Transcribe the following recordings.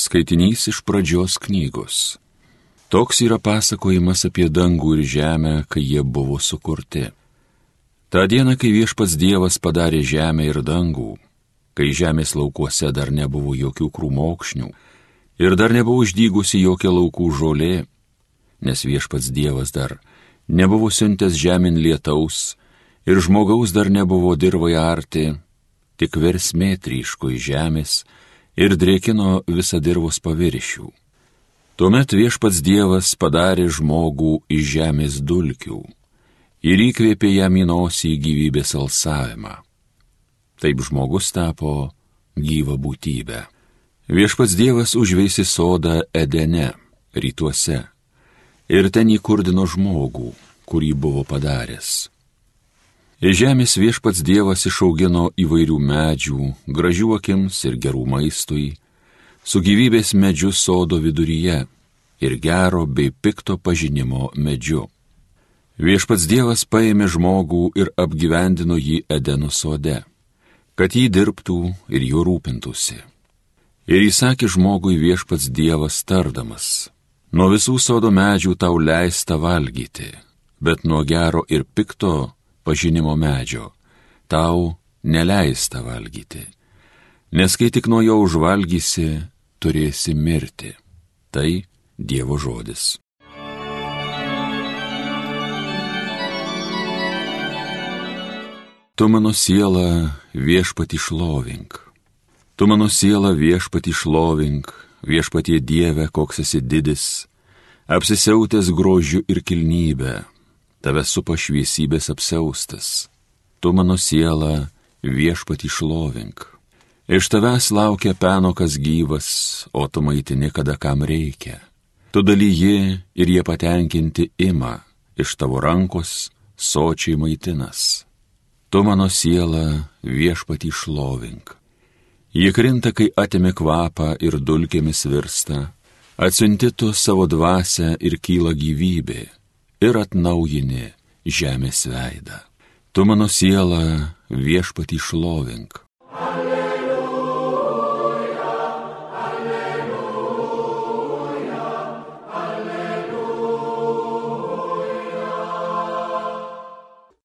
Skaitinys iš pradžios knygos. Toks yra pasakojimas apie dangų ir žemę, kai jie buvo sukurti. Ta diena, kai viešpats Dievas padarė žemę ir dangų, kai žemės laukuose dar nebuvo jokių krūmokšnių ir dar nebuvo išdygusi jokia laukų žolė, nes viešpats Dievas dar nebuvo siuntęs žemėn lietaus ir žmogaus dar nebuvo dirvai arti, tik versmė tryško iš žemės ir drėkino visą dirvos paviršių. Tuomet viešpats Dievas padarė žmogų iš žemės dulkių ir įkvėpė jam į nosį gyvybės alsavimą. Taip žmogus tapo gyva būtybė. Viešpats Dievas užveisė sodą Edene, rytuose, ir ten įkurdino žmogų, kurį buvo padaręs. Iš žemės viešpats Dievas išaugino įvairių medžių, gražių akims ir gerų maistui, su gyvybės medžiu sodo viduryje ir gero bei pikto pažinimo medžiu. Viešpats Dievas paėmė žmogų ir apgyvendino jį Edeno sode, kad jį dirbtų ir juo rūpintųsi. Ir įsakė žmogui viešpats Dievas tardamas: nuo visų sodo medžių tau leista valgyti, bet nuo gero ir pikto pažinimo medžio tau neleista valgyti, nes kai tik nuo jo užvalgysi, turėsi mirti. Tai Dievo žodis. Tu mano siela viešpatį šlovink. Tu mano siela viešpatį šlovink, viešpatie Dieve, koks esi didis, apsisiautęs grožiu ir kilnybe. Tave supa šviesybės apsiaustas. Tu mano siela viešpatį šlovink. Iš tavęs laukia penokas gyvas, o tu maitini, kada kam reikia. Tu dalyji ir jie patenkinti ima, iš tavo rankos sočiai maitinas. Tu mano siela viešpatį šlovink. Ji krinta, kai atimi kvapą ir dulkėmis virsta, atsiunti tu savo dvasią ir kyla gyvybė, ir atnaujini žemės veidą. Tu mano siela viešpatį šlovink. Alleluja, alleluja, alleluja.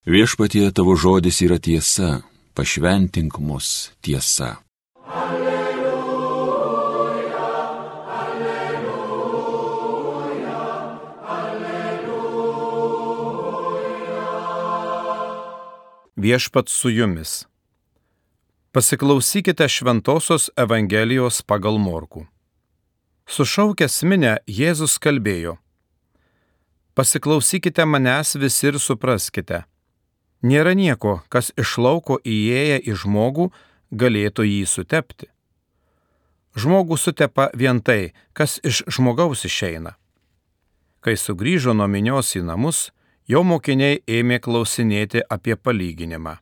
Viešpatie, tavo žodis yra tiesa, pašventink mus tiesa. Viešpats su jumis. Pasiklausykite Šventosios Evangelijos pagal Morkų. Sušaukęs minią, Jėzus kalbėjo: pasiklausykite manęs visi ir supraskite. Nėra nieko, kas iš lauko įėję į žmogų galėtų jį sutepti. Žmogų sutepa vien tai, kas iš žmogaus išeina. Kai sugrįžo nuo minios į namus, jo mokiniai ėmė klausinėti apie palyginimą.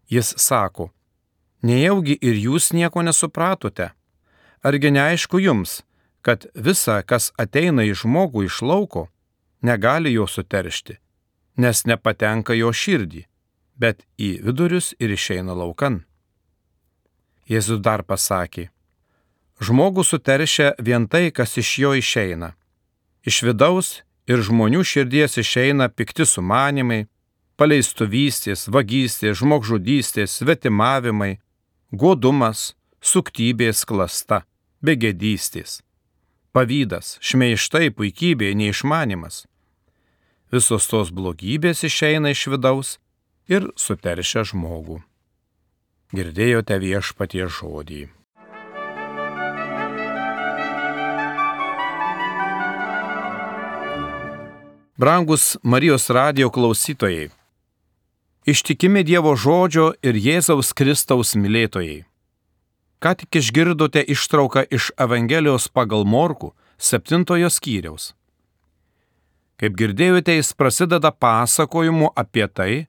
Jis sako: nejaugi ir jūs nieko nesupratote? Argi neaišku jums, kad visa, kas ateina į žmogų iš lauko, negali jo suteršti, nes nepatenka jo širdį, bet į vidurius ir išeina laukan? Jėzus dar pasakė: žmogų suteršia vien tai, kas iš jo išeina. Iš vidaus ir žmonių širdies išeina pikti sumanimai, paleistuvystės, vagystės, žmogžudystės, svetimavimai, godumas, suktybės klasta, begėdystės, pavydas, šmeižtai, puikybė, neišmanimas. Visos tos blogybės išeina iš vidaus ir suteršia žmogų. Girdėjote Viešpaties žodį. Brangus Marijos radijo klausytojai, ištikimi Dievo žodžio ir Jėzaus Kristaus mylėtojai. Ką tik išgirdote ištrauką iš Evangelijos pagal Morkų 7 skyriaus. Kaip girdėjote, jis prasideda pasakojimu apie tai,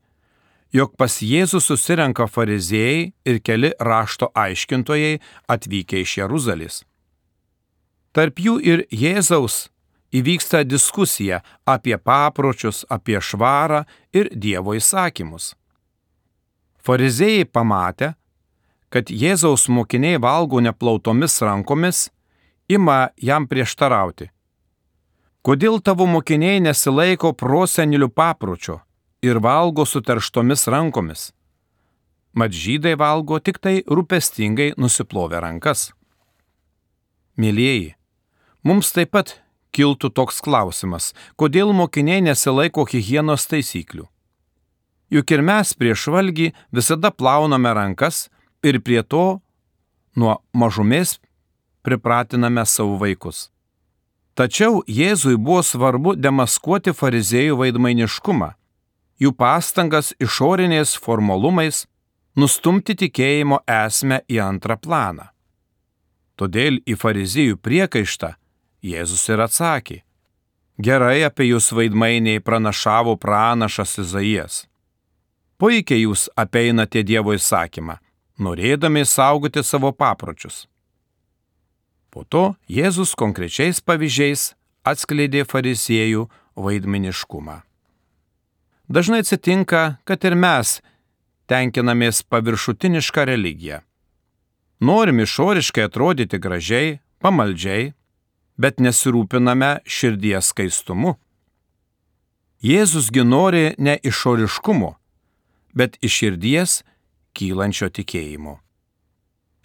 jog pas Jėzų susirenka fariziejai ir keli rašto aiškintojai atvykę iš Jeruzalės. Tarp jų ir Jėzaus įvyksta diskusija apie papročius, apie švarą ir Dievo įsakymus. Fariziejai pamatę, kad Jėzaus mokiniai valgo neplautomis rankomis, ima jam prieštarauti. Kodėl tavo mokiniai nesilaiko prosenelių papročio ir valgo suterštomis rankomis? Mat žydai valgo tik tai rūpestingai nusiplovę rankas. Mėlyjeji, mums taip pat kiltų toks klausimas, kodėl mokiniai nesilaiko higienos taisyklių. Juk ir mes prieš valgį visada plauname rankas ir prie to nuo mažumės pripratiname savo vaikus. Tačiau Jėzui buvo svarbu demaskuoti fariziejų vaidmainiškumą, jų pastangas išoriniais formalumais nustumti tikėjimo esmę į antrą planą. Todėl į fariziejų priekaištą Jėzus ir atsakė: gerai apie jūs vaidmainiai pranašavo pranašas Izaijas. Puikiai jūs apeinate Dievo įsakymą, norėdami saugoti savo papročius. Po to Jėzus konkrečiais pavyzdžiais atskleidė fariziejų vaidmainiškumą. Dažnai atsitinka, kad ir mes tenkinamės paviršutinišką religiją. Norim išoriškai atrodyti gražiai, pamaldžiai, bet nesirūpiname širdies skaistumu. Jėzusgi nori ne išoriškumo, bet iš širdies kylančio tikėjimo.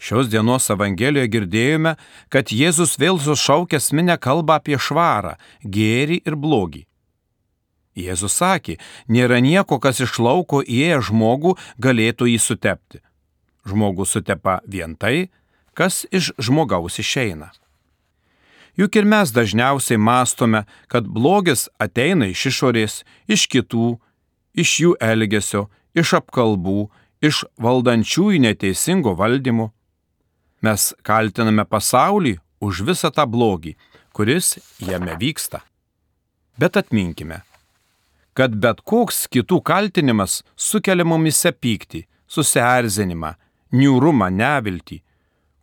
Šios dienos Evangelijoje girdėjome, kad Jėzus vėl sušaukęs minią kalbą apie švarą, gėrį ir blogį. Jėzus sakė, nėra nieko, kas iš lauko įėję žmogų galėtų jį sutepti. Žmogus sutepa vien tai, kas iš žmogaus išeina. Juk ir mes dažniausiai mąstome, kad blogis ateina iš išorės, iš kitų, iš jų elgesio, iš apkalbų, iš valdančiųjų neteisingo valdymo. Mes kaltiname pasaulį už visą tą blogį, kuris jame vyksta. Bet atminkime, kad bet koks kitų kaltinimas sukelia mumise pyktį, susierzinimą, niūrumą, neviltį,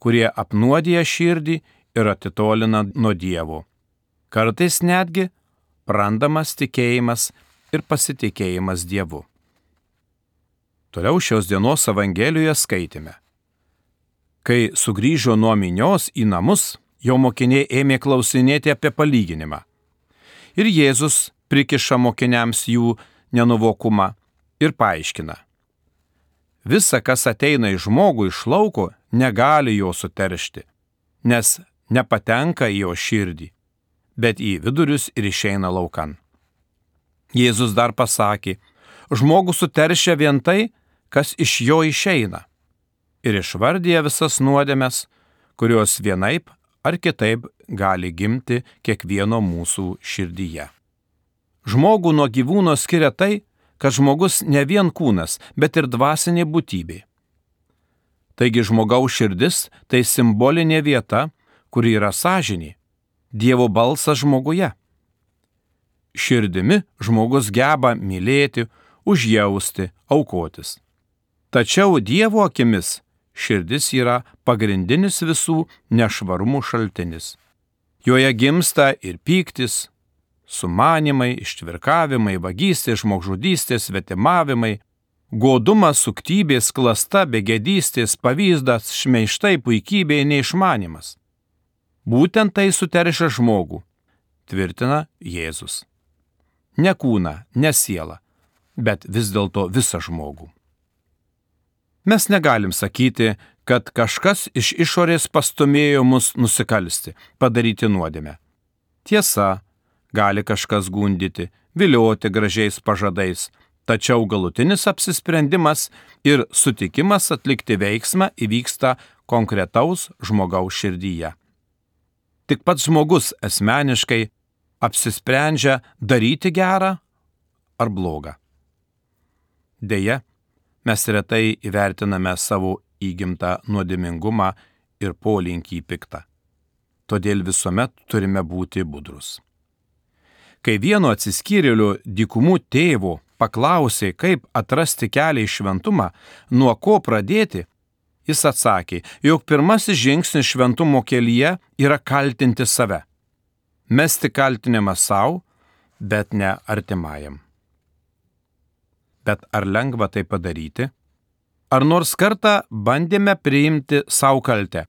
kurie apnuodija širdį ir atitolina nuo Dievo. Kartais netgi prarandamas tikėjimas ir pasitikėjimas Dievu. Toliau šios dienos Evangelijoje skaitėme. Kai sugrįžo nuo minios į namus, jo mokiniai ėmė klausinėti apie palyginimą. Ir Jėzus prikiša mokiniams jų nenuvokumą ir paaiškina. Visa, kas ateina į žmogų iš lauko, negali jo suteršti, nes nepatenka į jo širdį, bet į vidurius ir išeina laukan. Jėzus dar pasakė, žmogų suteršia vien tai, kas iš jo išeina, ir išvardyja visas nuodėmes, kurios vienaip ar kitaip gali gimti kiekvieno mūsų širdyje. Žmogų nuo gyvūno skiria tai, kad žmogus ne vien kūnas, bet ir dvasinė būtybė. Taigi žmogaus širdis tai simbolinė vieta, kuri yra sąžinė, Dievo balsas žmoguje. Širdimi žmogus geba mylėti, užjausti, aukotis. Tačiau Dievo akimis širdis yra pagrindinis visų nešvarumų šaltinis. Joje gimsta ir pyktis, sumanimai, ištvirkavimai, vagystės, žmogžudystės, svetimavimai, godumas, suktybės, klasta, begėdystės, pavyzdas, šmeižtai, puikybė, neišmanimas. Būtent tai suteršia žmogų, tvirtina Jėzus. Ne kūną, ne sielą, bet vis dėlto visą žmogų. Mes negalim sakyti, kad kažkas iš išorės pastumėjo mus nusikalsti, padaryti nuodėmę. Tiesa, gali kažkas gundyti, vilioti gražiais pažadais, tačiau galutinis apsisprendimas ir sutikimas atlikti veiksmą įvyksta konkretaus žmogaus širdyje. Tik pats žmogus asmeniškai apsisprendžia daryti gerą ar blogą. Deja, mes retai įvertiname savo įgimtą nuodėmingumą ir polinkį į piktą. Todėl visuomet turime būti budrus. Kai vieno atsiskyrėlio dykumų tėvo paklausė, kaip atrasti kelią į šventumą, nuo ko pradėti, jis atsakė, jog pirmasis žingsnis šventumo kelyje yra kaltinti save. Mesti kaltinimą savo, bet ne artimajam. Bet ar lengva tai padaryti? Ar nors kartą bandėme priimti savo kaltę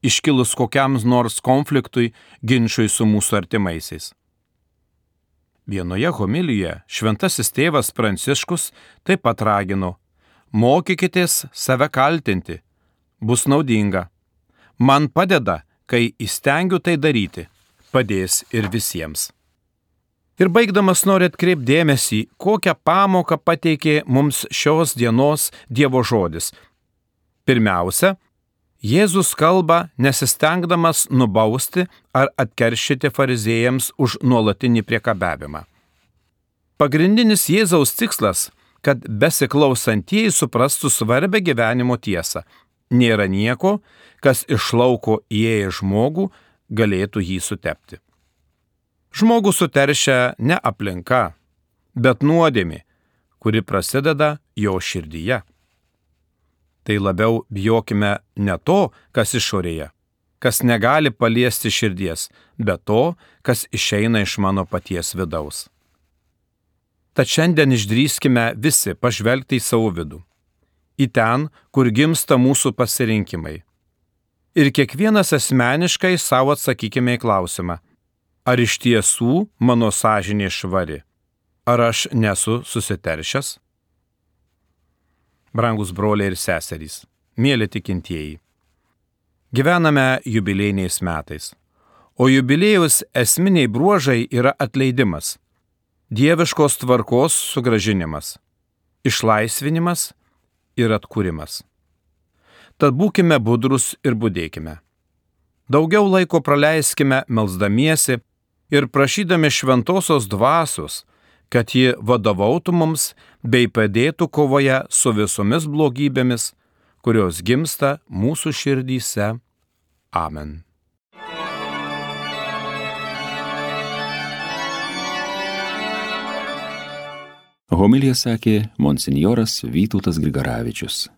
iškilus kokiam nors konfliktui, ginčui su mūsų artimaisiais. Vienoje homilijoje šventasis tėvas Pranciškus taip pat ragino: mokykitės save kaltinti, bus naudinga. Man padeda, kai įstengiu tai daryti, padės ir visiems. Ir baigdamas noriu atkreipti dėmesį, kokią pamoką pateikė mums šios dienos Dievo žodis. Pirmiausia, Jėzus kalba nesistengdamas nubausti ar atkeršyti fariziejams už nuolatinį priekabiavimą. Pagrindinis Jėzaus tikslas, kad besiklausantieji suprastų svarbę gyvenimo tiesą. Nėra nieko, kas iš lauko įėję žmogų galėtų jį sutepti. Žmogų suteršia ne aplinka, bet nuodėmė, kuri prasideda jo širdyje. Tai labiau bijokime ne to, kas išorėje, kas negali paliesti širdies, bet to, kas išeina iš mano paties vidaus. Tad šiandien išdrįskime visi pažvelgti į savo vidų, į ten, kur gimsta mūsų pasirinkimai. Ir kiekvienas asmeniškai savo atsakykime į klausimą: ar iš tiesų mano sąžinė švari? Ar aš nesu susiteršęs? Brangus broliai ir seserys, mieli tikintieji, gyvename jubiliejiniais metais, o jubiliejaus esminiai bruožai yra atleidimas, dieviškos tvarkos sugrąžinimas, išlaisvinimas ir atkūrimas. Tad būkime budrus ir budėkime. Daugiau laiko praleiskime melsdamiesi ir prašydami šventosios dvasios, kad ji vadovautų mums bei padėtų kovoje su visomis blogybėmis, kurios gimsta mūsų širdyse. Amen. Homiliją sakė monsinjoras Vytautas Grigaravičius.